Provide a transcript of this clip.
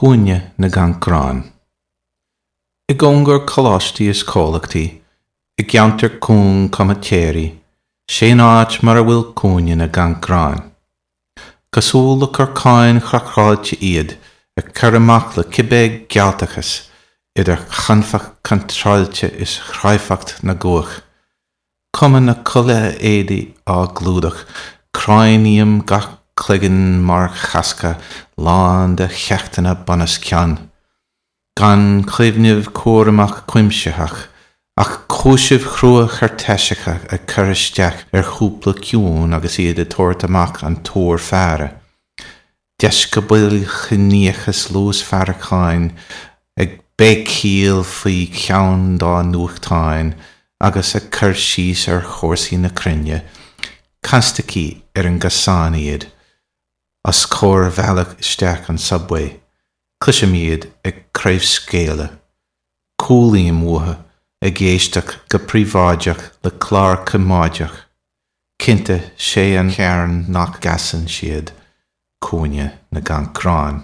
Cúinne na gCancrán. I gcóngar coláistí is comhlachtaí, i gceantar cúng comaitéirí, sé an áit mar a bhfuil Cúinne na gCancrán. Cosúil le corcáin chraiceáilte iad ag cur amach le cibé gealtachas, idir chanfacht chontráilte is chráifeacht na gcuach. Cuma na culaithe éadaí á gclúdach, cráiníum gach cloigeann mar chasca lán de cheachtanna bunoscionn. Gan cuimhneamh cúramach cuimsitheach, ach cúisimh chrua choirtéiseacha ag cur isteach ar chúpla ciúin agus iad ag tabhairt amach an túr faire. Deisceabail chiníochas luasfhaireacháin ag béicíl faoi cheann dá nuachtáin agus ag cur síos ar chúrsaí na cruinne, constaicí ar an gcosán iad, os comhair bhealach isteach an subway, cloisim iad ag craobhscaoileadh. Cúlaím uathu ag éisteacht go príobháideach le clár coimeádach. Cinnte, sé an cearn nach gcasann siad, Cúinne na gCancrán.